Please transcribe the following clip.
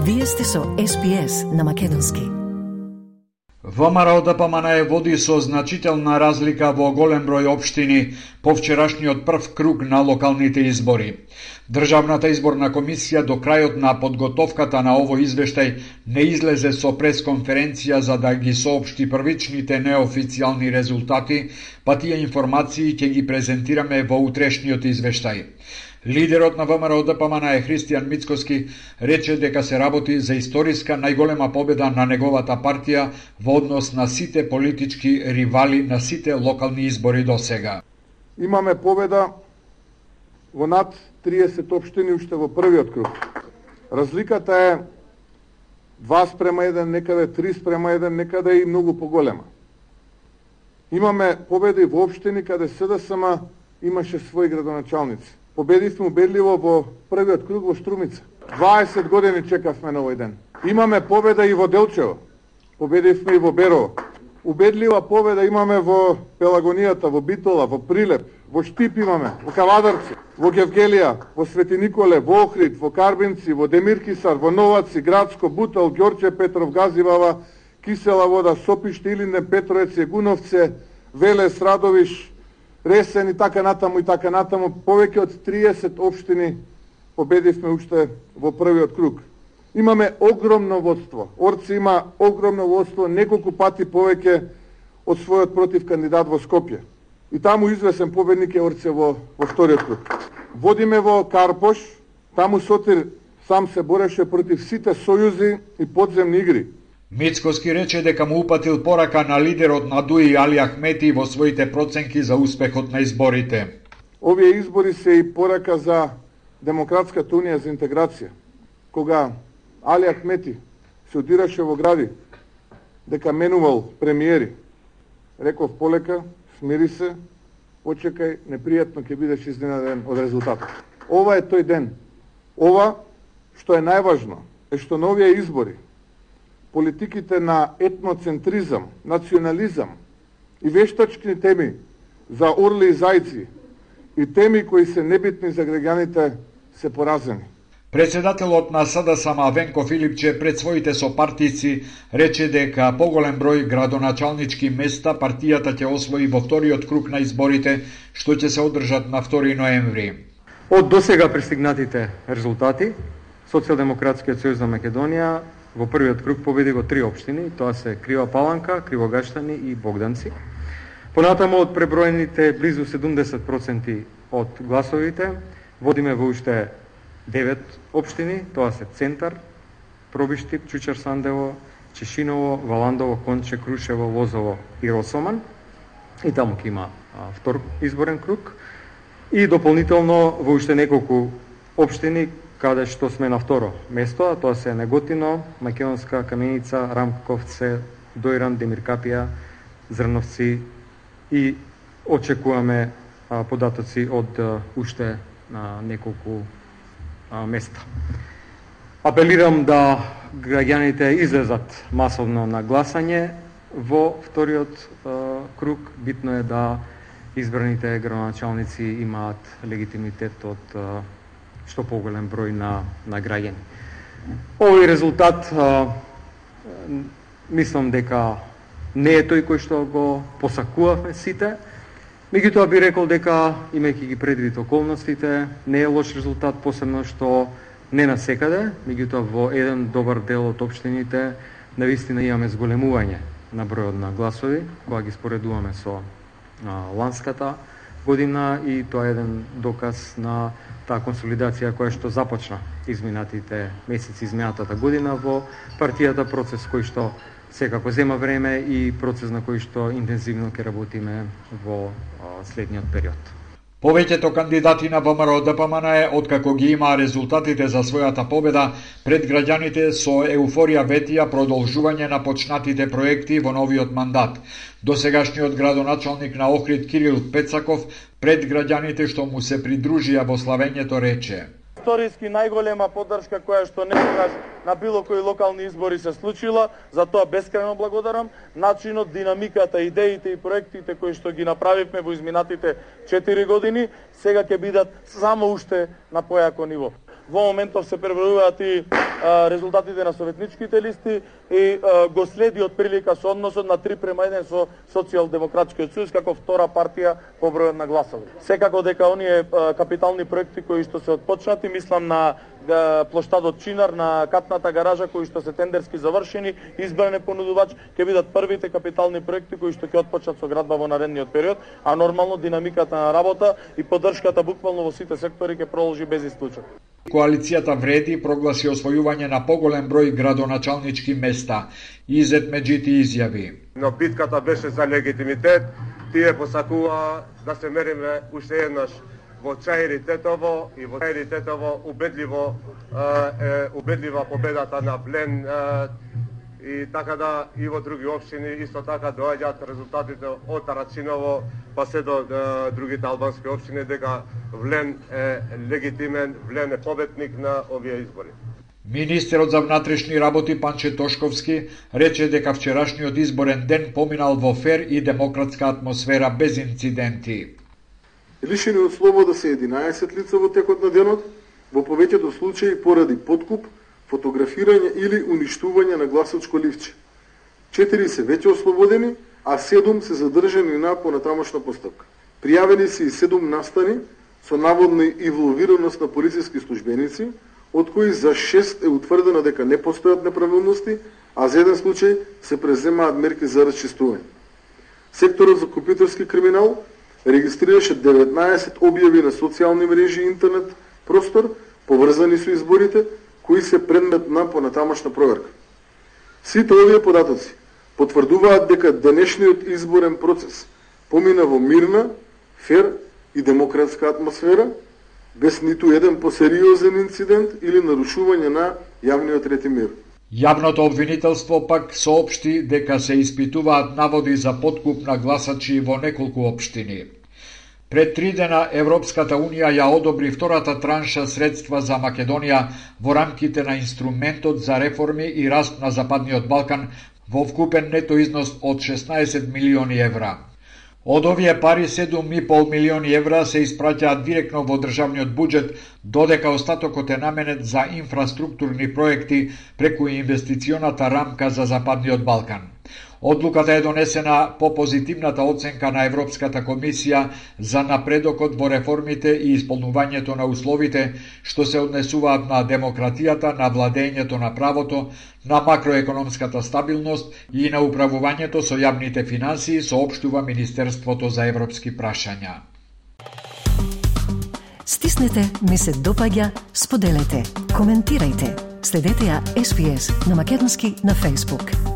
Вие сте со SPS на македонски. ВМРО ДПМН води со значителна разлика во голем број општини по вчерашниот прв круг на локалните избори. Државната изборна комисија до крајот на подготовката на овој извештај не излезе со пресконференција за да ги соопшти првичните неофицијални резултати, па тие информации ќе ги презентираме во утрешниот извештај. Лидерот на ВМРО ДПМН Христијан Мицкоски рече дека се работи за историска најголема победа на неговата партија во однос на сите политички ривали на сите локални избори до сега. Имаме победа во над 30 општини уште во првиот круг. Разликата е 2:1, некаде 3:1, некаде и многу поголема. Имаме победи во општини каде СДСМ имаше своји градоначалници. Победивме убедливо во првиот круг во Струмица. 20 години чекавме на овој ден. Имаме победа и во Делчево. Победивме и во Берово. Убедлива победа имаме во Пелагонијата, во Битола, во Прилеп, во Штип имаме, во Кавадарци, во Гевгелија, во Свети Николе, во Охрид, во Карбинци, во Демиркисар, во Новаци, Градско, Бутел, Ѓорче Петров, Газивава, Кисела Вода, Сопиште, Илинден, Петровец, Јегуновце, Велес, Радовиш, Ресен и така натаму. Повеќе од 30 општини победивме уште во првиот круг. Имаме огромно водство. Орци има огромно водство, неколку пати повеќе од својот против кандидат во Скопје. И таму извесен победник е Орце во вториот круг. Водиме во Карпош, таму Сотир сам се бореше против сите сојузи и подземни игри. Мицкоски рече дека му упатил порака на лидерот на ДУИ Али Ахмети во своите проценки за успехот на изборите. Овие избори се и порака за Демократската унија за интеграција. Кога Али Ахмети се одираше во гради дека менувал премиери, реков полека, смири се, почекај, непријатно ќе бидеш изненаден од резултатот. Ова е тој ден. Ова што е најважно е што на овие избори политиките на етноцентризам, национализам и вештачки теми за орли и зајци и теми кои се небитни за граѓаните се поразени. Председателот на СДСМ Венко Филипче пред своите сопартици рече дека поголем број градоначалнички места партијата ќе освои во вториот круг на изборите, што ќе се одржат на 2 ноември. Од досега пристигнатите резултати, Социјалдемократскиот сојуз на Македонија во првиот круг победи во 3 општини, тоа се Крива Паланка, Кривогаштани и Богданци. Понатаму од преброените близу 70% од гласовите, водиме во уште 9 општини, тоа се Центар, Пробиштип, Чучар Сандево, Чешиново, Валандово, Конче, Крушево, Лозово и Росоман. И таму ќе има втор изборен круг. И дополнително во уште неколку општини каде што сме на второ место, тоа се Неготино, Македонска, Каменица, Рамковце, Дојран, Демиркапија, Зрновци и очекуваме податоци од уште неколку места. Апелирам да граѓаните излезат масовно на гласање во вториот круг. Битно е да избраните градоначалници имаат легитимитет од што поголем број на граѓани. Овој резултат мислам дека не е тој кој што го посакувавме сите. Меѓутоа би рекол дека, имајќи ги предвид околностите, не е лош резултат, посебно што не насекаде, меѓутоа во еден добар дел од општините навистина имаме зголемување на бројот на гласови, кога ги споредуваме со ланската година, и тоа е еден доказ на таа консолидација која што започна изминатите месеци, изминатата година во партијата, процес кој што секако зема време и процес на кој што интензивно ќе работиме во следниот период. Повеќето кандидати на ВМРО ДПМН откако ги имаа резултатите за својата победа пред граѓаните со еуфорија ветија продолжување на почнатите проекти во новиот мандат. Досегашниот градоначалник на Охрид Кирил Пецаков пред граѓаните што му се придружија во славењето рече: Историски најголема поддршка која што некогаш на било кои локални избори се случила, за тоа бескрајно благодарам. Начинот, динамиката, идеите и проектите кои што ги направивме во изминатите 4 години, сега ќе бидат само уште на појако ниво. Во моментов се пребројуваат и резултатите на советничките листи и го следи од прилика со односот на 3:1 со Социјалдемократскиот сојуз како втора партија по број на гласови. Секако дека оние капитални проекти кои што се отпочнати, мислам на плоштадот Чинар, на катната гаража кои што се тендерски завршени, избран е понудувач, ќе бидат првите капитални проекти кои што ќе отпочнат со градба во наредниот период, а нормално динамиката на работа и поддршката буквално во сите сектори ќе продолжи без исклучок. Коалицијата Вреди прогласи освојување на поголем број градоначалнички места. Изет Меджити изјави: Но битката беше за легитимитет, тие посакува да се мериме уште еднаш во Чаир и Тетово, и во Чаир и Тетово убедлива победата на Блен, и така да и во други општини исто така доаѓаат резултатите од Тарачиново па се до другите албански општини дека Влен е легитимен, Влен е победник на овие избори. Министерот за внатрешни работи Панче Тошковски рече дека вчерашниот изборен ден поминал во фер и демократска атмосфера без инциденти. Лишени од слобода се 11 лица во текот на денот, во повеќето случаи поради подкуп, фотографирање или уништување на гласачко ливче. 4 се веќе ослободени, а 7 се задржани на понатамошна постапка. Пријавени се и 7 настани со наводна инволвираност на полициски службеници, од кои за 6 е утврдено дека не постојат неправилности, а за еден случај се преземаат мерки за расчистување. Секторот за компјутерски криминал регистрираше 19 објави на социјални мрежи и интернет простор поврзани со изборите, кои се предмет на понатамошна проверка. Сите овие податоци потврдуваат дека денешниот изборен процес помина во мирна, фер и демократска атмосфера, без ниту еден посериозен инцидент или нарушување на јавниот ред и мир. Јавното обвинителство пак соопшти дека се испитуваат наводи за подкуп на гласачи во неколку општини. Пред 3 дена Европската Унија ја одобри втората транша средства за Македонија во рамките на инструментот за реформи и раст на Западниот Балкан во вкупен нето износ од 16 милиони евра. Од овие пари 7,5 милиони евра се испраќаат директно во државниот буџет, додека остатокот е наменет за инфраструктурни проекти преку инвестиционата рамка за Западниот Балкан. Одлуката е донесена по позитивната оценка на Европската комисија за напредокот во реформите и исполнувањето на условите што се однесуваат на демократијата, на владењето на правото, на макроекономската стабилност и на управувањето со јавните финансии, соопштува Министерството за европски прашања. Стиснете, ми се допаѓа, споделете, коментирајте. Следете ја SPS на Македонски на Facebook.